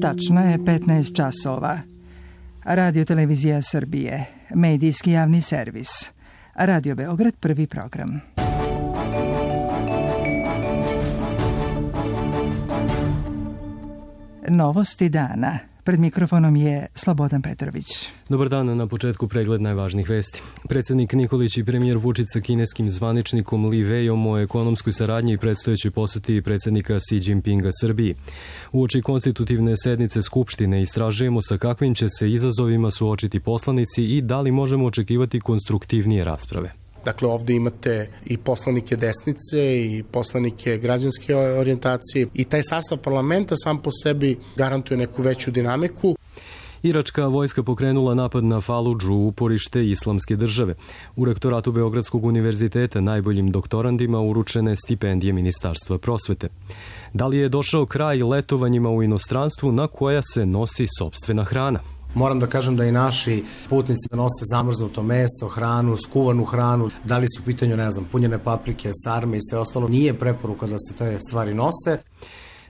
Tačno je 15 časova. Radio Televizija Srbije, medijski javni servis. Radio Beograd, prvi program. Novosti dana. Pred mikrofonom je Slobodan Petrović. Dobar dan, na početku pregled najvažnijih vesti. Predsjednik Nikolić i premijer Vučić sa kineskim zvaničnikom Li Weiom o ekonomskoj saradnji i predstojećoj poseti predsjednika Xi Jinpinga Srbiji. Uoči konstitutivne sednice Skupštine istražujemo sa kakvim će se izazovima suočiti poslanici i da li možemo očekivati konstruktivnije rasprave. Dakle, ovdje imate i poslanike desnice i poslanike građanske orijentacije i taj sastav parlamenta sam po sebi garantuje neku veću dinamiku. Iračka vojska pokrenula napad na Faludžu, uporište islamske države. U rektoratu Beogradskog univerziteta najboljim doktorandima uručene stipendije Ministarstva prosvete. Da li je došao kraj letovanjima u inostranstvu na koja se nosi sopstvena hrana? Moram da kažem da i naši putnici nose zamrznuto meso, hranu, skuvanu hranu, da li su u pitanju, punjene paprike, sarme i sve ostalo. Nije preporuka da se te stvari nose.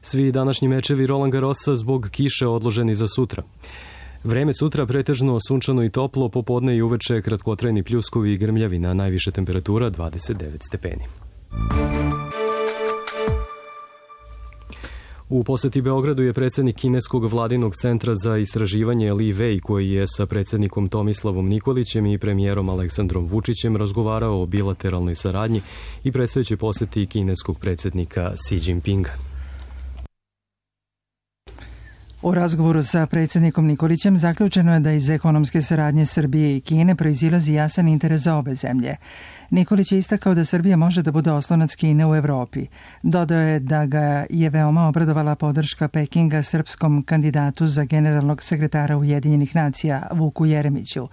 Svi današnji mečevi Roland Garrosa zbog kiše odloženi za sutra. Vreme sutra pretežno sunčano i toplo, popodne i uveče kratkotrajni pljuskovi i grmljavina, najviše temperatura 29 stepeni. U poseti Beogradu je predsjednik kineskog vladinog centra za istraživanje Li Wei, koji je sa predsjednikom Tomislavom Nikolićem i premijerom Aleksandrom Vučićem razgovarao o bilateralnoj saradnji i predstojećoj poseti kineskog predsjednika Xi Jinpinga. U razgovoru sa predsjednikom Nikolićem zaključeno je da iz ekonomske saradnje Srbije i Kine proizilazi jasan interes za obe zemlje. Nikolić je istakao da Srbija može da bude oslonac Kine u Evropi. Dodao je da ga je veoma obradovala podrška Pekinga srpskom kandidatu za generalnog sekretara Ujedinjenih nacija Vuku Jeremiću.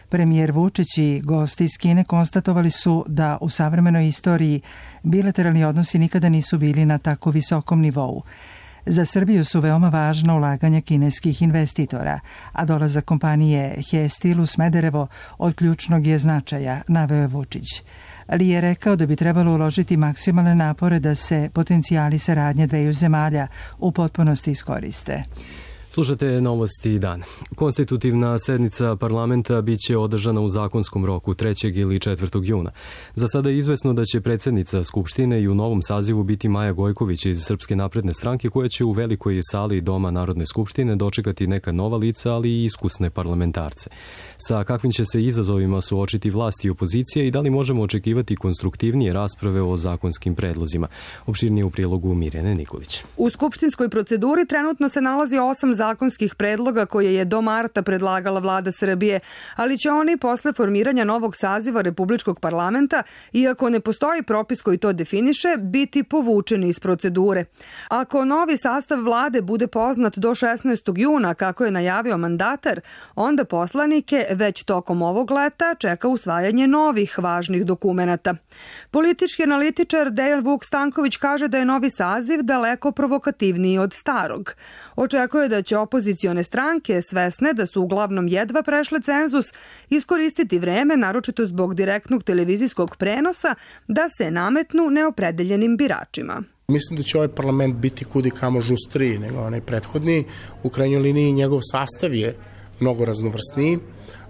Premijer Vučić i gosti iz Kine konstatovali su da u savremenoj istoriji bilateralni odnosi nikada nisu bili na tako visokom nivou. Za Srbiju su veoma važna ulaganja kineskih investitora, a dolazak kompanije Hestil u Smederevo od ključnog je značaja, naveo je Vučić. Li je rekao da bi trebalo uložiti maksimalne napore da se potencijali saradnje dveju zemalja u potpunosti iskoriste. Slušate novosti dana. Konstitutivna sednica parlamenta bit će održana u zakonskom roku 3. ili 4. juna. Za sada je izvesno da će predsjednica Skupštine i u novom sazivu biti Maja Gojković iz Srpske napredne stranke, koja će u velikoj sali Doma Narodne skupštine dočekati neka nova lica, ali i iskusne parlamentarce. Sa kakvim će se izazovima suočiti vlast i opozicija i da li možemo očekivati konstruktivnije rasprave o zakonskim predlozima? Opširnije u prilogu Mirjane Nikolić. U skupštinskoj proceduri trenutno se nalazi 8 zakonskih predloga koje je do marta predlagala vlada Srbije, ali će oni posle formiranja novog saziva Republičkog parlamenta, iako ne postoji propis koji to definiše, biti povučeni iz procedure. Ako novi sastav vlade bude poznat do 16. juna, kako je najavio mandatar, onda poslanike već tokom ovog leta čeka usvajanje novih važnih dokumenata. Politički analitičar Dejan Vuk Stanković kaže da je novi saziv daleko provokativniji od starog. Očekuje da će opozicione stranke, svesne da su uglavnom jedva prešle cenzus, iskoristiti vreme, naročito zbog direktnog televizijskog prenosa, da se nametnu neopredeljenim biračima. Mislim da će ovaj parlament biti kudi kamo žustriji nego onaj prethodni. U krajnjoj liniji njegov sastav je mnogo raznovrsniji.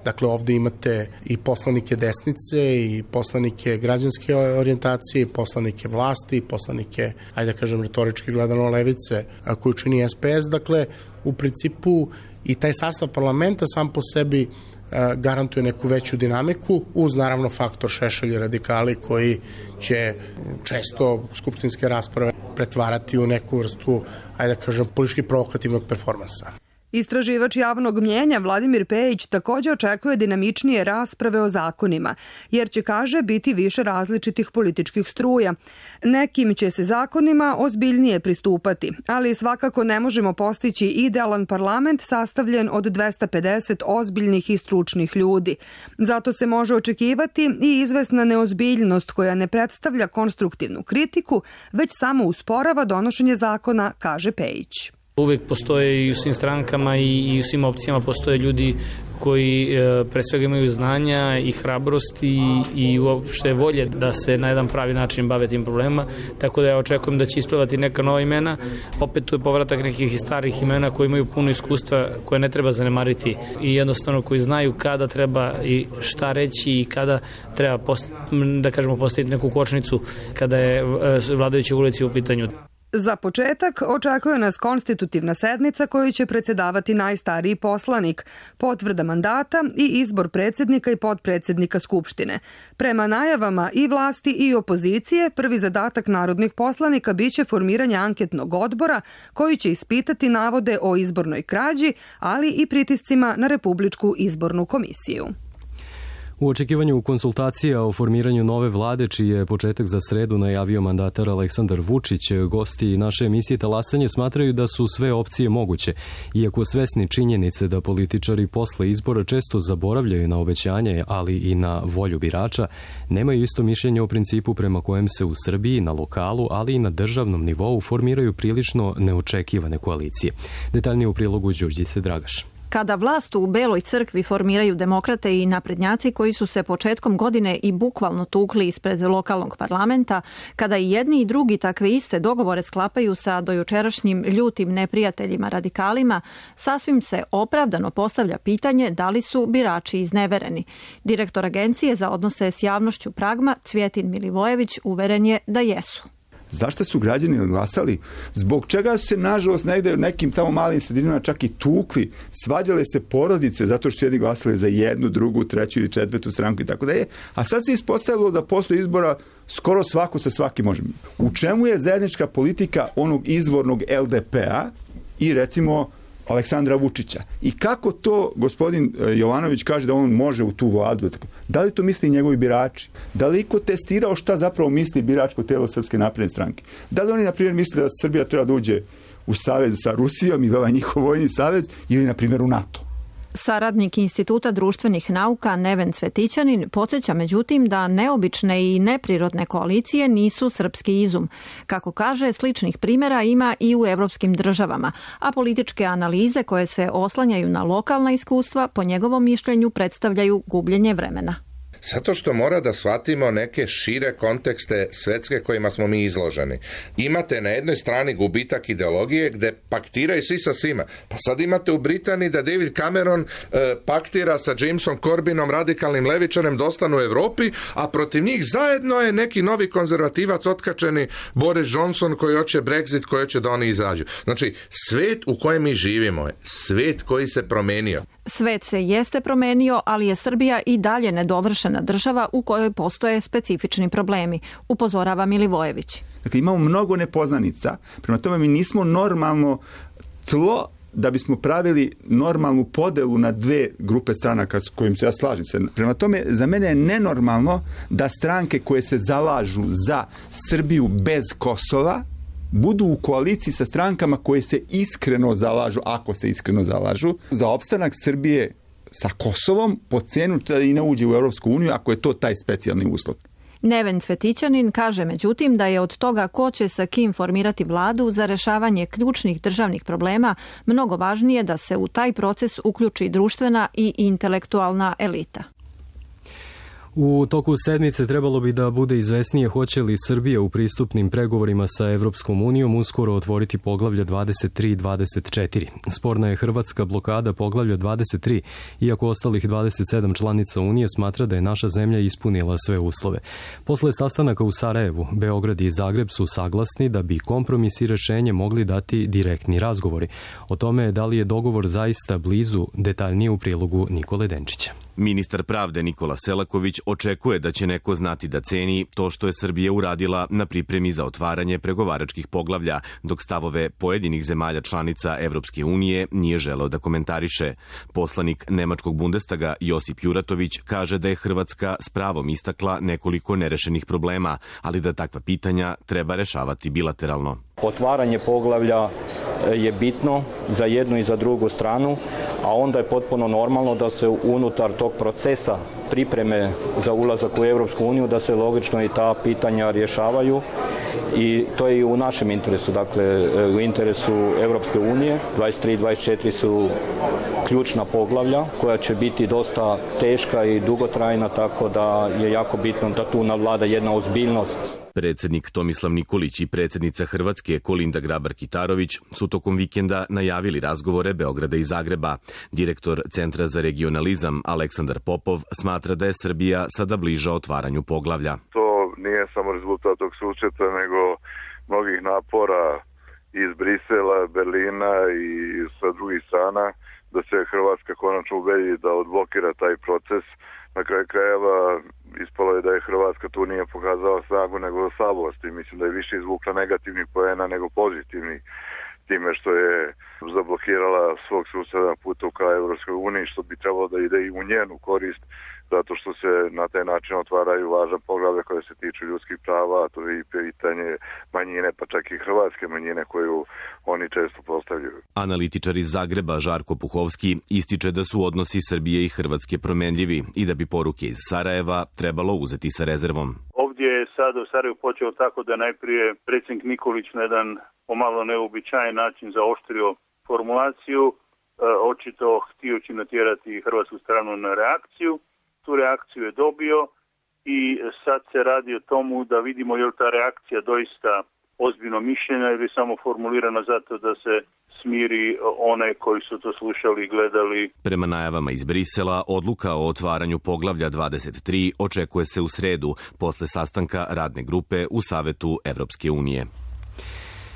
Dakle, ovdje imate i poslanike desnice, i poslanike građanske orijentacije, i poslanike vlasti, i poslanike, ajde da kažem retorički gledano, levice, koju čini SPS. Dakle, u principu i taj sastav parlamenta sam po sebi garantuje neku veću dinamiku, uz naravno faktor Šešelj i radikali koji će često skupštinske rasprave pretvarati u neku vrstu, ajde da kažem, politički provokativnog performansa. Istraživač javnog mnjenja Vladimir Pejić također očekuje dinamičnije rasprave o zakonima, jer će, kaže, biti više različitih političkih struja. Nekim će se zakonima ozbiljnije pristupati, ali svakako ne možemo postići idealan parlament sastavljen od 250 ozbiljnih i stručnih ljudi. Zato se može očekivati i izvesna neozbiljnost koja ne predstavlja konstruktivnu kritiku, već samo usporava donošenje zakona, kaže Pejić. Uvek postoje i u svim strankama i u svim opcijama postoje ljudi koji pre svega imaju znanja i hrabrost i uopšte volje da se na jedan pravi način bave tim problemima, tako da ja očekujem da će isplivati neka nova imena. Opet tu je povratak nekih starih imena koji imaju puno iskustva koje ne treba zanemariti i jednostavno koji znaju kada treba i šta reći i kada treba da kažemo postaviti neku kočnicu kada je vladajuća ulici u pitanju. Za početak očekuje nas konstitutivna sednica koju će predsjedavati najstariji poslanik, potvrda mandata i izbor predsjednika i potpredsjednika Skupštine. Prema najavama i vlasti i opozicije, prvi zadatak narodnih poslanika biće formiranje anketnog odbora koji će ispitati navode o izbornoj krađi, ali i pritiscima na Republičku izbornu komisiju. U očekivanju konsultacija o formiranju nove vlade, čiji je početak za sredu najavio mandatar Aleksandar Vučić, gosti naše emisije Talasanje smatraju da su sve opcije moguće, iako svesni činjenice da političari posle izbora često zaboravljaju na obećanje, ali i na volju birača, nemaju isto mišljenje o principu prema kojem se u Srbiji na lokalu, ali i na državnom nivou formiraju prilično neočekivane koalicije. Detaljnije u prilogu Đurđice Dragaš. Kada vlast u Beloj crkvi formiraju demokrate i naprednjaci koji su se početkom godine i bukvalno tukli ispred lokalnog parlamenta, kada i jedni i drugi takve iste dogovore sklapaju sa dojučerašnjim ljutim neprijateljima radikalima, sasvim se opravdano postavlja pitanje da li su birači iznevereni. Direktor Agencije za odnose s javnošću Pragma, Cvjetin Milivojević, uveren je da jesu. Zašto su građani glasali? Zbog čega su se, nažalost, negde u nekim tamo malim sredinama čak i tukli, svađale se porodice zato što su jedni glasali za jednu, drugu, treću ili četvrtu stranku i tako da je. A sad se ispostavilo da posle izbora skoro svako sa svakim može. U čemu je zajednička politika onog izvornog LDP-a i recimo Aleksandra Vučića? I kako to gospodin Jovanović kaže da on može u tu vladu? Da li to misli njegovi birači? Da li iko testirao šta zapravo misli biračko telo Srpske napredne stranke? Da li oni, na primjer, misle da Srbija treba da uđe u savez sa Rusijom ili ovaj njihov vojni savez ili, na primjer, u NATO? Saradnik Instituta društvenih nauka Neven Cvetićanin podsjeća međutim da neobične i neprirodne koalicije nisu srpski izum. Kako kaže, sličnih primjera ima i u evropskim državama, a političke analize koje se oslanjaju na lokalna iskustva po njegovom mišljenju predstavljaju gubljenje vremena. Zato što mora da shvatimo neke šire kontekste svetske kojima smo mi izloženi. Imate na jednoj strani gubitak ideologije gde paktiraju svi sa svima. Pa sad imate u Britaniji da David Cameron paktira sa Jamesom Corbynom, radikalnim levičarem, da ostanu u Evropi, a protiv njih zajedno je neki novi konzervativac otkačeni Boris Johnson koji hoće Brexit, koji hoće da oni izađu. Znači, svet u kojem mi živimo je svet koji se promenio. Svet se jeste promenio, ali je Srbija i dalje nedovršena država u kojoj postoje specifični problemi, upozorava Milivojević. Dakle, imamo mnogo nepoznanica, prema tome mi nismo normalno tlo da bismo pravili normalnu podelu na dve grupe stranaka s kojim se ja slažem. Prema tome, za mene je nenormalno da stranke koje se zalažu za Srbiju bez Kosova budu u koaliciji sa strankama koje se iskreno zalažu, ako se iskreno zalažu, za opstanak Srbije sa Kosovom po cenu da i ne uđe u Europsku uniju, ako je to taj specijalni uslov. Neven Cvetićanin kaže međutim da je od toga ko će sa kim formirati vladu za rešavanje ključnih državnih problema mnogo važnije da se u taj proces uključi društvena i intelektualna elita. U toku sedmice trebalo bi da bude izvesnije hoće li Srbija u pristupnim pregovorima sa Evropskom unijom uskoro otvoriti poglavlja 23 i 24. Sporna je hrvatska blokada poglavlja 23, iako ostalih 27 članica Unije smatra da je naša zemlja ispunila sve uslove. Posle sastanaka u Sarajevu, Beograd i Zagreb su saglasni da bi kompromis i rešenje mogli dati direktni razgovori. O tome da li je dogovor zaista blizu, detaljnije u prilogu Nikole Denčića. Ministar pravde Nikola Selaković očekuje da će neko znati da ceni to što je Srbija uradila na pripremi za otvaranje pregovaračkih poglavlja, dok stavove pojedinih zemalja članica Evropske unije nije želeo da komentariše. Poslanik Nemačkog Bundestaga Josip Juratović kaže da je Hrvatska s pravom istakla nekoliko nerešenih problema, ali da takva pitanja treba rešavati bilateralno. Otvaranje poglavlja je bitno za jednu i za drugu stranu, a onda je potpuno normalno da se unutar tog procesa pripreme za ulazak u Europsku uniju, da se logično i ta pitanja rješavaju i to je i u našem interesu, dakle u interesu Europske unije. 23 i 24 su ključna poglavlja koja će biti dosta teška i dugotrajna, tako da je jako bitno da tu navlada jedna ozbiljnost. Predsjednik Tomislav Nikolić i predsjednica Hrvatske Kolinda Grabar-Kitarović su tokom vikenda najavili razgovore Beograda i Zagreba. Direktor Centra za regionalizam Aleksandar Popov smatra da je Srbija sada bliža otvaranju poglavlja. To nije samo rezultat tog susreta, nego mnogih napora iz Brisela, Berlina i sa drugih strana da se Hrvatska konačno ubedi da odblokira taj proces. Na kraju krajeva ispalo je da je Hrvatska tu nije pokazala snagu nego slabost i mislim da je više izvukla negativnih poena nego pozitivnih time što je zablokirala svog suseda puta ka Evropskoj uniji, što bi trebalo da ide i u njenu korist, zato što se na taj način otvaraju važna poglavlja koje se tiču ljudskih prava, a to je i pitanje manjine, pa čak i hrvatske manjine koju oni često postavljaju. Analitičar iz Zagreba Žarko Puhovski ističe da su odnosi Srbije i Hrvatske promenljivi i da bi poruke iz Sarajeva trebalo uzeti sa rezervom. Ovdje je sad u Sarajevu počeo tako da najprije predsjednik Nikolić na jedan pomalo neobičajen način zaoštrio formulaciju, očito htioći natjerati hrvatsku stranu na reakciju. Tu reakciju je dobio i sad se radi o tomu da vidimo je li ta reakcija doista ozbiljno mišljenja ili samo formulirana zato da se smiri one koji su to slušali i gledali. Prema najavama iz Brisela, odluka o otvaranju poglavlja 23 očekuje se u sredu, posle sastanka radne grupe u Savetu Evropske unije.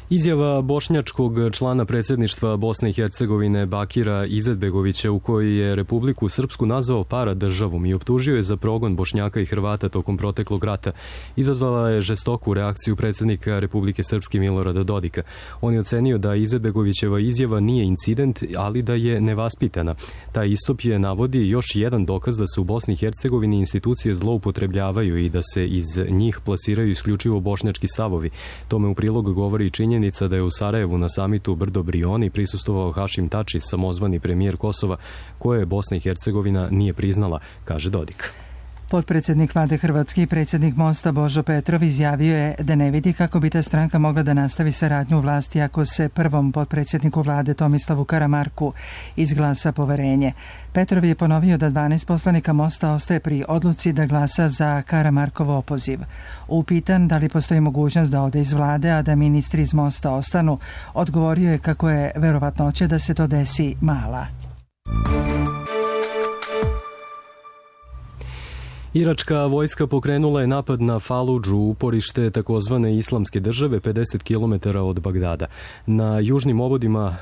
Izjava bošnjačkog člana predsjedništva Bosne i Hercegovine Bakira Izetbegovića u kojoj je Republiku Srpsku nazvao paradržavom i optužio je za progon Bošnjaka i Hrvata tokom proteklog rata, izazvala je žestoku reakciju predsjednika Republike Srpske Milorada Dodika. On je ocenio da Izetbegovićeva izjava nije incident, ali da je nevaspitana. Taj istup je navodi još jedan dokaz da se u Bosni i Hercegovini institucije zloupotrebljavaju i da se iz njih plasiraju isključivo bošnjački stavovi. Tome u prilog govori i činjenica da je u Sarajevu na samitu Brdo Brioni prisustvovao Hašim Tači, samozvani premijer Kosova, koje Bosna i Hercegovina nije priznala, kaže Dodik. Potpredsjednik vlade Hrvatske i predsjednik Mosta Božo Petrov izjavio je da ne vidi kako bi ta stranka mogla da nastavi saradnju u vlasti ako se prvom potpredsjedniku vlade Tomislavu Karamarku izglasa poverenje. Petrov je ponovio da 12 poslanika Mosta ostaje pri odluci da glasa za Karamarkov opoziv. Upitan da li postoji mogućnost da ode iz vlade, a da ministri iz Mosta ostanu, odgovorio je kako je verovatnoća da se to desi mala. Iračka vojska pokrenula je napad na Faludžu, uporište takozvane islamske države 50 km od Bagdada. Na južnim obodima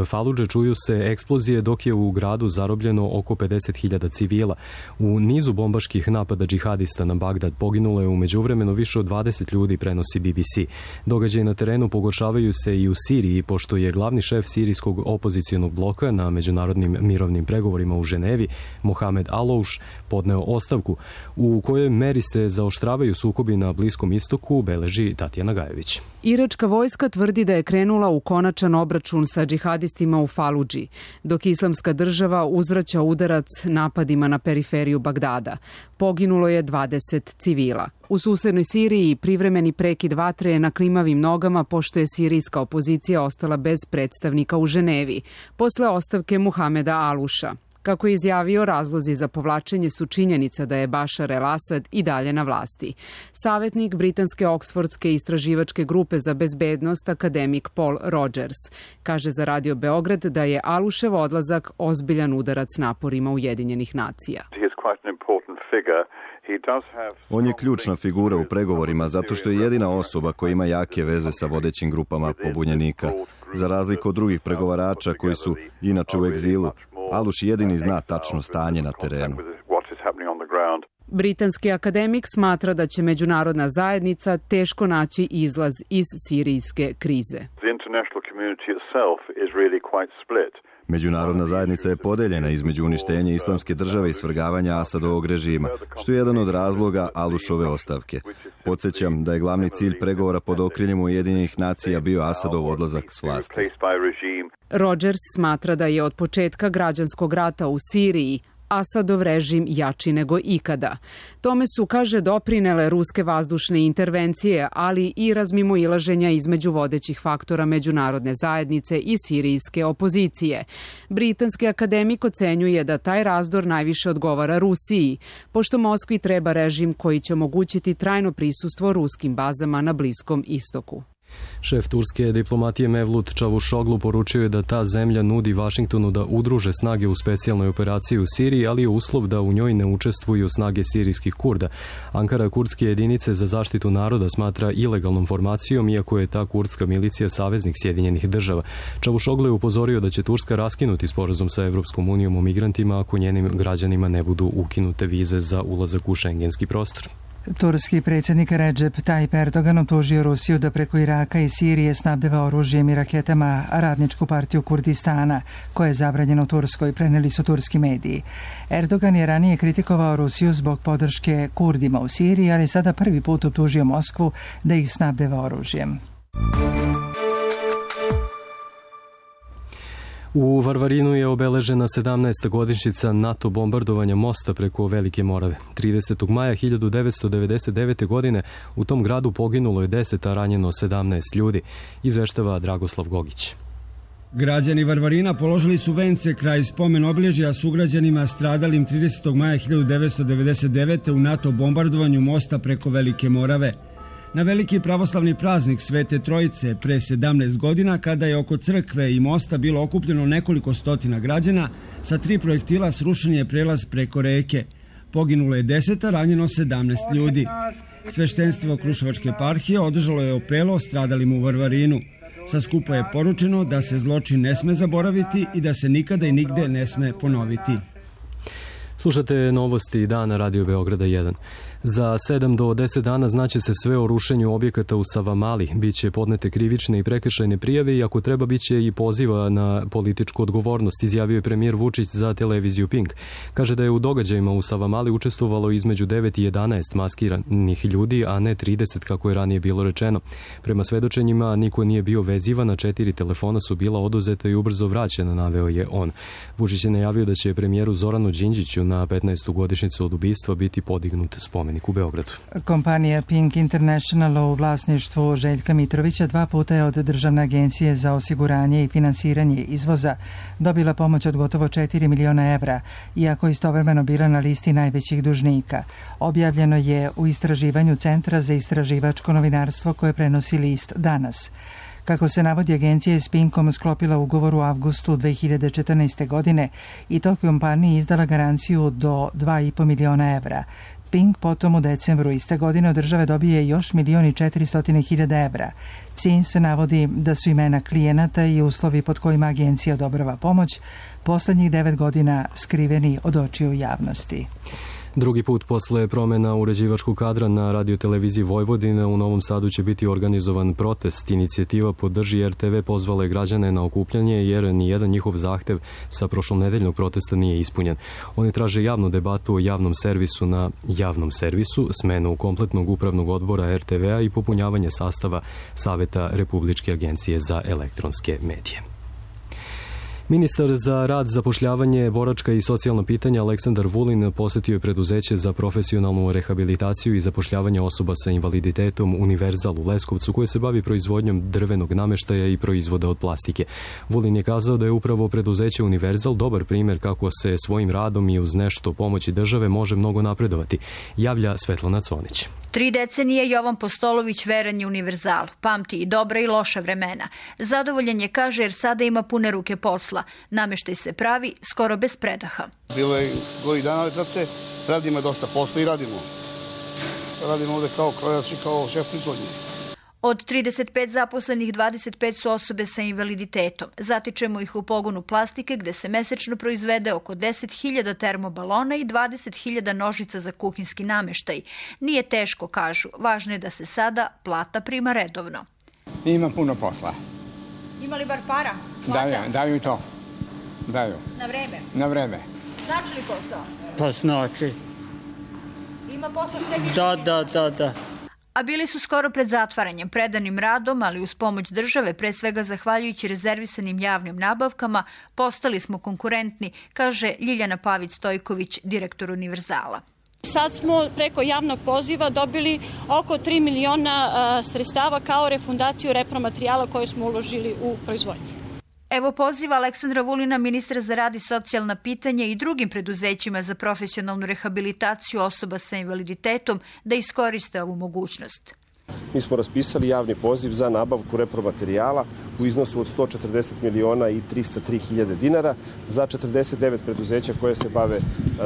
Faludže čuju se eksplozije dok je u gradu zarobljeno oko 50.000 civila. U nizu bombaških napada džihadista na Bagdad poginulo je u međuvremenu više od 20 ljudi, prenosi BBC. Događaji na terenu pogoršavaju se i u Siriji, pošto je glavni šef sirijskog opozicionog bloka na međunarodnim mirovnim pregovorima u Ženevi, Mohamed Alouš, podneo ostavku. U kojoj meri se zaoštravaju sukobi na Bliskom istoku, beleži Tatjana Gajević. Iračka vojska tvrdi da je krenula u konačan obračun sa džihadistima u Faludži, dok Islamska država uzvraća udarac napadima na periferiju Bagdada. Poginulo je 20 civila. U susednoj Siriji privremeni prekid vatre je na klimavim nogama pošto je sirijska opozicija ostala bez predstavnika u Ženevi, posle ostavke Muhameda Aluša. Kako je izjavio, razlozi za povlačenje su činjenica da je Bašar el-Asad i dalje na vlasti. Savjetnik britanske Oksfordske istraživačke grupe za bezbednost, akademik Paul Rogers, kaže za Radio Beograd da je Alušev odlazak ozbiljan udarac naporima Ujedinjenih nacija. On je ključna figura u pregovorima zato što je jedina osoba koja ima jake veze sa vodećim grupama pobunjenika. Za razliku od drugih pregovarača koji su inače u egzilu, Aluš jedini zna tačno stanje na terenu. Britanski akademik smatra da će međunarodna zajednica teško naći izlaz iz sirijske krize. Međunarodna zajednica je podeljena između uništenja islamske države i svrgavanja Asadovog režima, što je jedan od razloga Alušove ostavke. Podsjećam da je glavni cilj pregovora pod okriljem Ujedinjenih nacija bio Asadov odlazak s vlasti. Rogers smatra da je od početka građanskog rata u Siriji Asadov režim jači nego ikada. Tome su, kaže, doprinele ruske vazdušne intervencije, ali i razmimoilaženja između vodećih faktora međunarodne zajednice i sirijske opozicije. Britanski akademik ocenjuje da taj razdor najviše odgovara Rusiji, pošto Moskvi treba režim koji će omogućiti trajno prisustvo ruskim bazama na Bliskom istoku. Šef turske diplomatije Mevlut Čavušoglu poručio je da ta zemlja nudi Vašingtonu da udruže snage u specijalnoj operaciji u Siriji, ali je uslov da u njoj ne učestvuju snage sirijskih Kurda. Ankara kurdske jedinice za zaštitu naroda smatra ilegalnom formacijom, iako je ta kurdska milicija saveznik Sjedinjenih država. Čavušoglu je upozorio da će Turska raskinuti sporazum sa Evropskom unijom o migrantima ako njenim građanima ne budu ukinute vize za ulazak u šengenski prostor. Turski predsjednik Recep Tayyip Erdogan optužio Rusiju da preko Iraka i Sirije snabdeva oružjem i raketama Radničku partiju Kurdistana, koja je zabranjena u Turskoj, preneli su turski mediji. Erdogan je ranije kritikovao Rusiju zbog podrške Kurdima u Siriji, ali sada prvi put optužio Moskvu da ih snabdeva oružjem. U Varvarinu je obeležena 17. godišnjica NATO bombardovanja mosta preko Velike Morave. 30. maja 1999. godine u tom gradu poginulo je 10, a ranjeno 17 ljudi, izveštava Dragoslav Gogić. Građani Varvarina položili su vence kraj spomen obilježja sugrađanima stradalim 30. maja 1999. u NATO bombardovanju mosta preko Velike Morave. Na veliki pravoslavni praznik Svete Trojice pre 17 godina, kada je oko crkve i mosta bilo okupljeno nekoliko stotina građana, sa 3 projektila srušen je prelaz preko reke. Poginulo je 10, a ranjeno 17 ljudi. Sveštenstvo Kruševačke eparhije održalo je apelo stradalim u Varvarinu. Sa skupa je poručeno da se zločin ne sme zaboraviti i da se nikada i nigde ne sme ponoviti. Slušate novosti dana Radio Beograda 1. Za 7 do 10 dana znaće se sve o rušenju objekata u Savamali. Biće podnete krivične i prekršajne prijave i ako treba biće i poziva na političku odgovornost, izjavio je premijer Vučić za televiziju Pink. Kaže da je u događajima u Savamali učestvovalo između 9 i 11 maskiranih ljudi, a ne 30 kako je ranije bilo rečeno. Prema svedočenjima niko nije bio vezivan, a 4 telefona su bila oduzeta i ubrzo vraćena, naveo je on. Vučić je najavio da će premijeru Zoranu Đinđiću na 15. godišnjicu od ubistva biti podignut spomenik u Beogradu. Kompanija Pink International u vlasništvu Željka Mitrovića 2 puta je od Državne agencije za osiguranje i finansiranje izvoza dobila pomoć od gotovo 4 miliona evra, iako istovremeno bila na listi najvećih dužnika. Objavljeno je u istraživanju Centra za istraživačko novinarstvo koje prenosi list Danas. Kako se navodi, agencija je s Pinkom sklopila ugovor u avgustu 2014. godine i toj kompaniji izdala garanciju do 2,5 miliona evra. Pink potom u decembru iste godine od države dobije još 1.400.000 evra. Cilj se navodi da su imena klijenata i uslovi pod kojima agencija odobrava pomoć poslednjih 9 godina skriveni od očiju javnosti. Drugi put posle promjena uređivačkog kadra na radioteleviziji Vojvodine u Novom Sadu će biti organizovan protest. Inicijativa Podrži RTV pozvala je građane na okupljanje jer nijedan njihov zahtev sa prošlonedeljnog protesta nije ispunjen. Oni traže javnu debatu o javnom servisu na javnom servisu, smenu kompletnog upravnog odbora RTV-a i popunjavanje sastava Saveta Republičke agencije za elektronske medije. Ministar za rad, zapošljavanje, boračka i socijalna pitanja Aleksandar Vulin posetio je preduzeće za profesionalnu rehabilitaciju i zapošljavanje osoba sa invaliditetom Univerzal u Leskovcu, koje se bavi proizvodnjom drvenog nameštaja i proizvoda od plastike. Vulin je kazao da je upravo preduzeće Univerzal dobar primjer kako se svojim radom i uz nešto pomoći države može mnogo napredovati, javlja Svetlana Conić. 3 decenije Jovan Postolović veran je Univerzalu, pamti i dobra i loša vremena. Zadovoljan je, kaže, jer sada ima pune ruke posla. Nameštaj se pravi skoro bez predaha. Bilo je gori dana, ali sad se radimo dosta posla i radimo. Radimo ovde kao krojač i kao šef proizvodnje. Od 35 zaposlenih 25 su osobe sa invaliditetom. Zatičemo ih u pogonu plastike gde se mesečno proizvede oko 10.000 termobalona i 20.000 nožica za kuhinski nameštaj. Nije teško, kažu. Važno je da se sada plata prima redovno. Ima puno posla. Ima li bar para? Daju i to. Daju. Na vreme? Na vreme. Znači li posao? Pa znači. Ima posla sve više? Da. A bili su skoro pred zatvaranjem, predanim radom, ali uz pomoć države, pre svega zahvaljujući rezervisanim javnim nabavkama, postali smo konkurentni, kaže Ljiljana Pavić-Stojković, direktor Univerzala. Sad smo preko javnog poziva dobili oko 3 miliona sredstava kao refundaciju repromaterijala koje smo uložili u proizvodnju. Evo poziva Aleksandra Vulina, ministra za rad i socijalna pitanja i drugim preduzećima za profesionalnu rehabilitaciju osoba sa invaliditetom da iskoriste ovu mogućnost. Mi smo raspisali javni poziv za nabavku repromaterijala u iznosu od 140 miliona i 303 hiljade dinara za 49 preduzeća koje se bave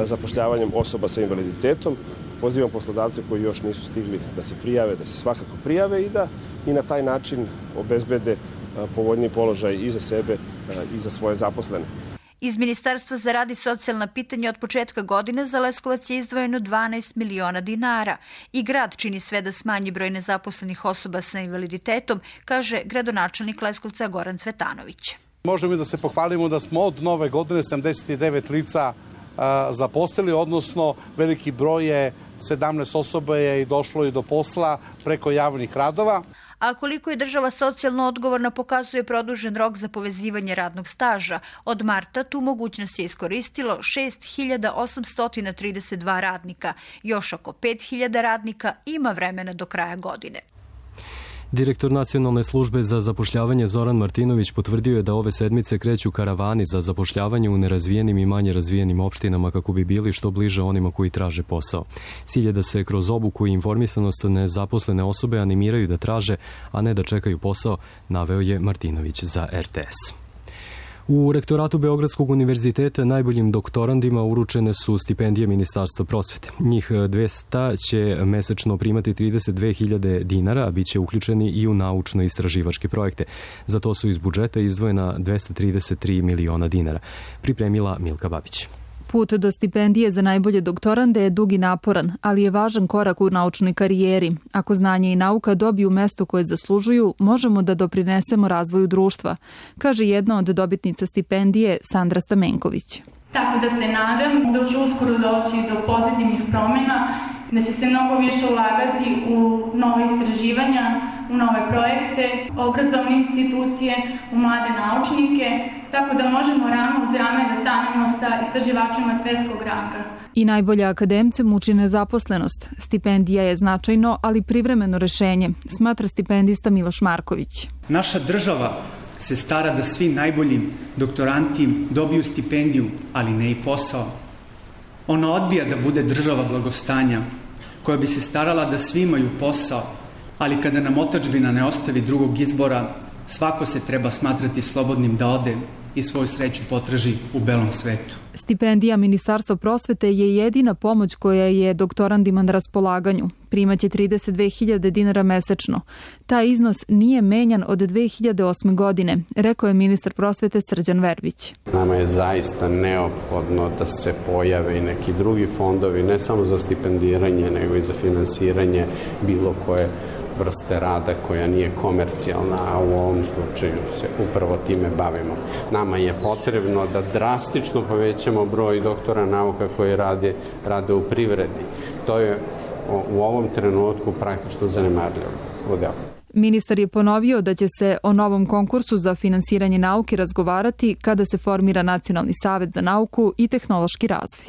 zapošljavanjem osoba sa invaliditetom. Pozivam poslodavce koji još nisu stigli da se prijave, da se svakako prijave i da i na taj način obezbede povoljniji položaj i za sebe i za svoje zaposlene. Iz Ministarstva za rad i socijalna pitanja od početka godine za Leskovac je izdvojeno 12 miliona dinara i grad čini sve da smanji broj nezaposlenih osoba sa invaliditetom, kaže gradonačelnik Leskovca Goran Cvetanović. Možemo da se pohvalimo da smo od nove godine 79 lica zaposlili, odnosno veliki broj je 17 osoba je i došlo i do posla preko javnih radova. A koliko je država socijalno odgovorna pokazuje produžen rok za povezivanje radnog staža. Od marta tu mogućnost je iskoristilo 6.832 radnika. Još oko 5.000 radnika ima vremena do kraja godine. Direktor Nacionalne službe za zapošljavanje Zoran Martinović potvrdio je da ove sedmice kreću karavani za zapošljavanje u nerazvijenim i manje razvijenim opštinama kako bi bili što bliže onima koji traže posao. Cilj je da se kroz obuku i informisanost nezaposlene osobe animiraju da traže, a ne da čekaju posao, naveo je Martinović za RTS. U rektoratu Beogradskog univerziteta najboljim doktorandima uručene su stipendije Ministarstva prosvete. Njih 200 će mesečno primati 32.000 dinara, a bit će uključeni i u naučno-istraživačke projekte. Za to su iz budžeta izdvojena 233 miliona dinara. Pripremila Milka Babić. Put do stipendije za najbolje doktorande je dug i naporan, ali je važan korak u naučnoj karijeri. Ako znanje i nauka dobiju mesto koje zaslužuju, možemo da doprinesemo razvoju društva, kaže jedna od dobitnica stipendije Sandra Stamenković. Tako da se nadam da će uskoro doći do pozitivnih promjena, da će se mnogo više ulagati u nove istraživanja, u nove projekte, obrazovne institucije, u mlade naučnike, tako da možemo rame uz rame da stanemo sa istraživačima svetskog ranga. I najbolje akademce muči nezaposlenost. Stipendija je značajno, ali privremeno rešenje, smatra stipendista Miloš Marković. Naša država se stara da svi najbolji doktoranti dobiju stipendiju, ali ne i posao. Ona odbija da bude država blagostanja, koja bi se starala da svi imaju posao, ali kada nam otadžbina ne ostavi drugog izbora, svako se treba smatrati slobodnim da ode i svoju sreću potraži u belom svetu. Stipendija Ministarstva prosvete je jedina pomoć koja je doktorandima na raspolaganju. Primaće 32.000 dinara mesečno. Taj iznos nije menjan od 2008. godine, rekao je ministar prosvete Srđan Verbić. Nama je zaista neophodno da se pojave i neki drugi fondovi, ne samo za stipendiranje, nego i za finansiranje bilo koje vrste rada koja nije komercijalna, a u ovom slučaju se upravo time bavimo. Nama je potrebno da drastično povećamo broj doktora nauka koji rade u privredi. To je u ovom trenutku praktično zanemarljivo. Ministar je ponovio da će se o novom konkursu za finansiranje nauke razgovarati kada se formira Nacionalni savet za nauku i tehnološki razvoj.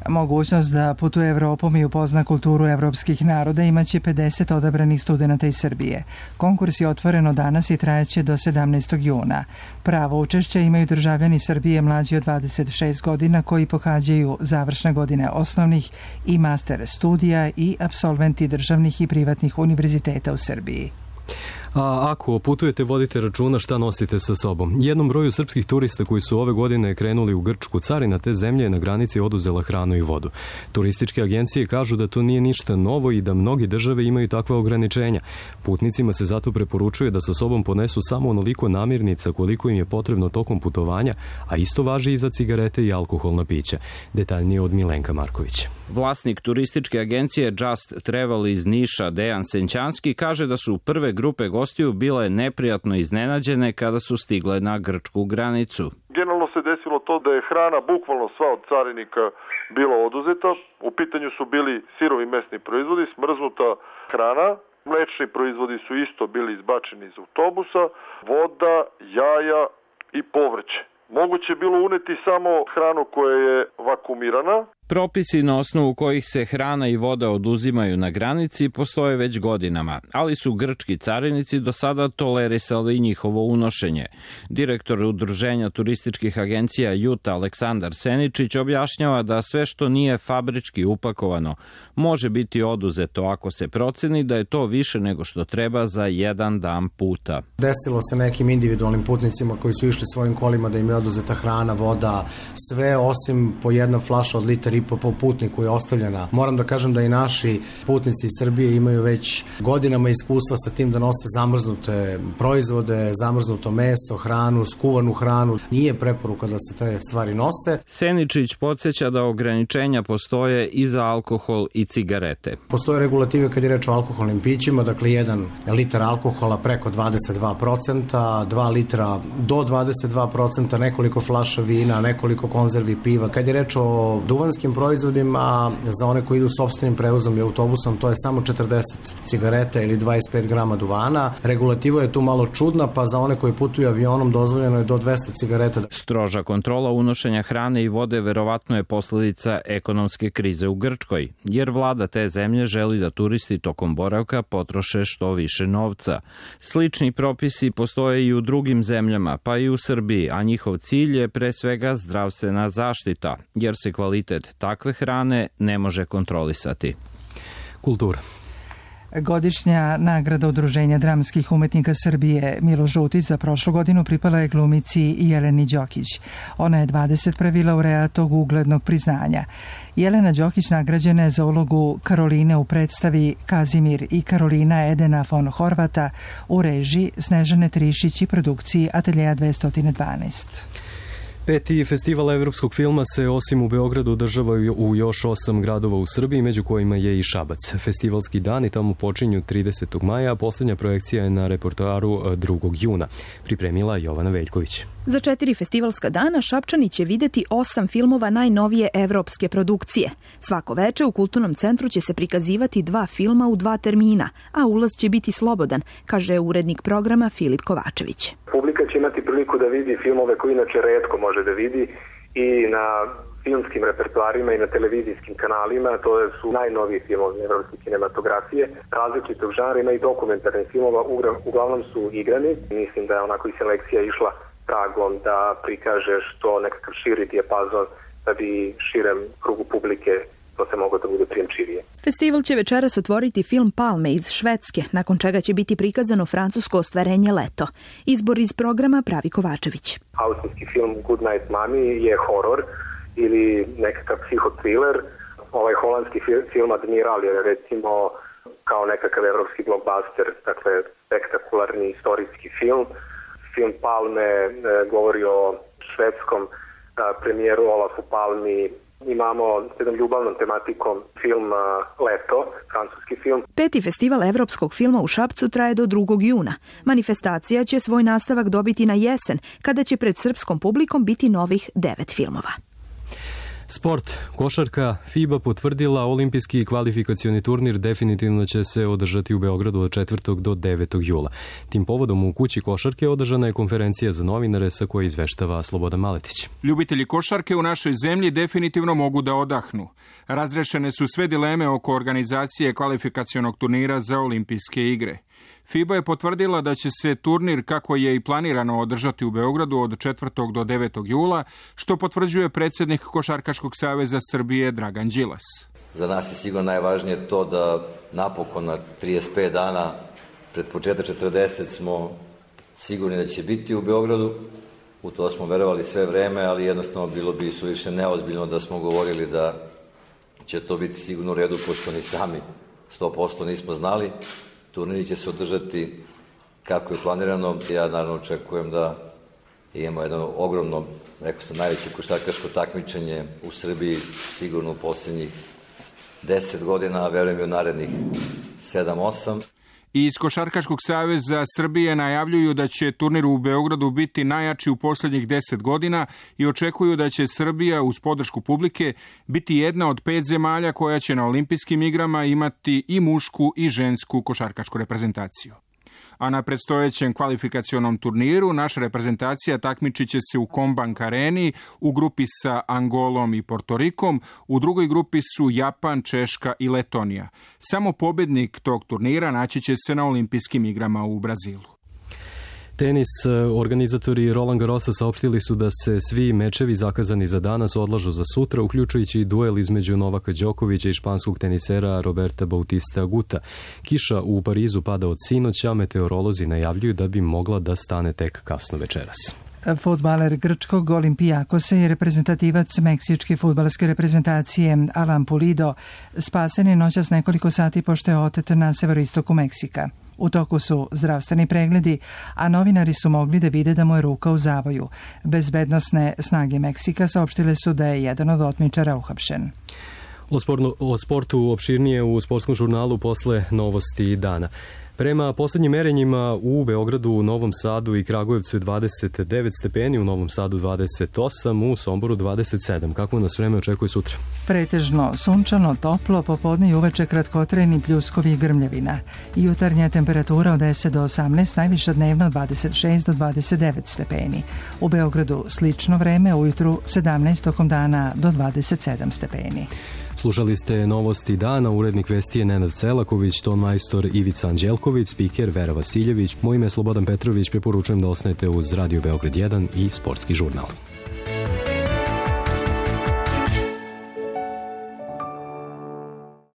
Mogućnost da putuje Evropom i upozna kulturu evropskih naroda imaće 50 odabranih studenta iz Srbije. Konkurs je otvoren danas i trajeće do 17. juna. Pravo učešća imaju državljani Srbije mlađi od 26 godina koji pohađaju završne godine osnovnih i master studija i apsolventi državnih i privatnih univerziteta u Srbiji. A ako putujete, vodite računa šta nosite sa sobom. Jednom broju srpskih turista koji su ove godine krenuli u Grčku, carina te zemlje je na granici oduzela hranu i vodu. Turističke agencije kažu da to nije ništa novo i da mnogi države imaju takva ograničenja. Putnicima se zato preporučuje da sa sobom ponesu samo onoliko namirnica koliko im je potrebno tokom putovanja, a isto važi i za cigarete i alkoholna pića. Detaljnije od Milenka Marković. Vlasnik turističke agencije Just Travel iz Niša, Dejan Senćanski, kaže da su prve grupe gostiju bile neprijatno iznenađene kada su stigle na grčku granicu. Generalno Prvo se desilo to da je hrana bukvalno sva od carinika bila oduzeta. U pitanju su bili sirovi mesni proizvodi, smrznuta hrana, mlečni proizvodi su isto bili izbačeni iz autobusa, voda, jaja i povrće. Moguće je bilo uneti samo hranu koja je vakuumirana. Propisi na osnovu kojih se hrana i voda oduzimaju na granici postoje već godinama, ali su grčki carinici do sada tolerisali njihovo unošenje. Direktor Udruženja turističkih agencija JUTA Aleksandar Seničić objašnjava da sve što nije fabrički upakovano može biti oduzeto ako se proceni da je to više nego što treba za jedan dan puta. Desilo se nekim individualnim putnicima koji su išli svojim kolima da im je oduzeta hrana, voda, sve osim po jedna flaša od litra i po putniku je ostavljena. Moram da kažem da i naši putnici iz Srbije imaju već godinama iskustva sa tim da nose zamrznute proizvode, zamrznuto meso, hranu, skuvanu hranu. Nije preporuka da se te stvari nose. Seničić podsjeća da ograničenja postoje i za alkohol i cigarete. Postoje regulative kad je reč o alkoholnim pićima, dakle 1 litar alkohola preko 22%, 2 litra do 22%, nekoliko flaša vina, nekoliko konzervi piva. Kad je reč o duvanskim proizvodima, za one koji idu sopstvenim prevozom i autobusom, to je samo 40 cigareta ili 25 grama duvana. Regulativa je tu malo čudna, pa za one koji putuju avionom dozvoljeno je do 200 cigareta. Stroža kontrola unošenja hrane i vode verovatno je posledica ekonomske krize u Grčkoj, jer vlada te zemlje želi da turisti tokom boravka potroše što više novca. Slični propisi postoje i u drugim zemljama, pa i u Srbiji, a njihov cilj je pre svega zdravstvena zaštita, jer se kvalitet takve hrane ne može kontrolisati. Kultura. Godišnja nagrada Udruženja dramskih umetnika Srbije Milo Žutić za prošlu godinu pripala je glumici Jeleni Đokić. Ona je 21. laureat tog uglednog priznanja. Jelena Đokić nagrađena je za ulogu Karoline u predstavi Kazimir i Karolina Edena von Horvata u režiji Snežane Trišić i produkciji Ateljeja 212. Peti festival evropskog filma se osim u Beogradu održava u još 8 gradova u Srbiji, među kojima je i Šabac. Festivalski dani tamo počinju 30. maja, a posljednja projekcija je na repertoaru 2. juna. Pripremila Jovana Veljković. Za 4 festivalska dana Šapčani će videti 8 filmova najnovije evropske produkcije. Svako veče u Kulturnom centru će se prikazivati 2 filma u 2 termina, a ulaz će biti slobodan, kaže urednik programa Filip Kovačević. Publika će imati priliku da vidi filmove koje inače retko može da vidi i na filmskim repertoarima i na televizijskim kanalima. To su najnoviji filmovi evropske kinematografije, različitog žanra, ima i dokumentarnih filmova, uglavnom su igrani. Mislim da je onako i selekcija išla tragom da prikaže što nekakav širi dijapazon da bi širem krugu publike to se moglo da bude prijemčivije. Festival će večeras otvoriti film Palme iz Švedske, nakon čega će biti prikazano francusko ostvarenje Leto. Izbor iz programa pravi Kovačević. Austrijski film Good Night Mommy je horor ili nekakav psihotriler. Ovaj holandski film Admiral je recimo kao nekakav evropski blockbuster, dakle spektakularni istorijski film. Film Palme govori o švedskom premijeru Olafu Palmi. Imamo s jednom ljubavnom tematikom film Leto, francuski film. 5. festival evropskog filma u Šapcu traje do 2. juna. Manifestacija će svoj nastavak dobiti na jesen, kada će pred srpskom publikom biti novih 9 filmova. Sport. Košarka. FIBA potvrdila olimpijski kvalifikacioni turnir definitivno će se održati u Beogradu od 4. do 9. jula. Tim povodom u kući košarke održana je konferencija za novinare sa koje izveštava Slobodan Maletić. Ljubitelji košarke u našoj zemlji definitivno mogu da odahnu. Razrešene su sve dileme oko organizacije kvalifikacionog turnira za olimpijske igre. FIBA je potvrdila da će se turnir, kako je i planirano, održati u Beogradu od 4. do 9. jula, što potvrđuje predsjednik Košarkaškog saveza Srbije Dragan Đilas. Za nas je sigurno najvažnije to da napokon na 35 dana pred početak 40 smo sigurni da će biti u Beogradu. U to smo verovali sve vreme, ali jednostavno bilo bi suviše neozbiljno da smo govorili da će to biti sigurno u redu, pošto ni sami 100% nismo znali. Turniri će se održati kako je planirano. Ja naravno očekujem da imamo jedno ogromno, rekao sam, najveće košarkaško takmičenje u Srbiji, sigurno u posljednjih 10 godina, a verujem i u narednih 7-8. Iz Košarkaškog saveza Srbije najavljuju da će turnir u Beogradu biti najjači u posljednjih 10 godina i očekuju da će Srbija uz podršku publike biti jedna od 5 zemalja koja će na olimpijskim igrama imati i mušku i žensku košarkašku reprezentaciju. A na predstojećem kvalifikacionom turniru naša reprezentacija takmičit će se u Kombank areni u grupi sa Angolom i Portorikom, u drugoj grupi su Japan, Češka i Letonija. Samo pobjednik tog turnira naći će se na olimpijskim igrama u Brazilu. Tenis, organizatori Roland Garrosa saopštili su da se svi mečevi zakazani za danas odlažu za sutra, uključujući i duel između Novaka Đokovića i španskog tenisera Roberta Bautista Aguta. Kiša u Parizu pada od sinoća, meteorolozi najavljuju da bi mogla da stane tek kasno večeras. Fudbaler grčkog Olimpijakosa i reprezentativac meksičke fudbalske reprezentacije Alan Pulido spasen je noćas nekoliko sati pošto je otet na severoistoku Meksika. U toku su zdravstveni pregledi, a novinari su mogli da vide da mu je ruka u zavoju. Bezbednosne snage Meksika saopštile su da je jedan od otmičara uhapšen. O sportu opširnije u sportskom žurnalu posle novosti dana. Prema poslednjim merenjima u Beogradu, u Novom Sadu i Kragujevcu je 29 stepeni, u Novom Sadu 28, u Somboru 27. Kako nas vreme očekuje sutra? Pretežno sunčano, toplo, popodne i uveče kratkotrajni pljuskovi i grmljavina. Jutarnja temperatura od 10 do 18, najviša dnevno 26 do 29 stepeni. U Beogradu slično vreme, ujutru 17, tokom dana do 27 stepeni. Slušali ste novosti dana, urednik vesti je Nenad Celaković, ton majstor Ivica Anđelković, spiker Vera Vasiljević, moje ime je Slobodan Petrović, preporučujem da ostanete uz Radio Beograd 1 i Sportski žurnal.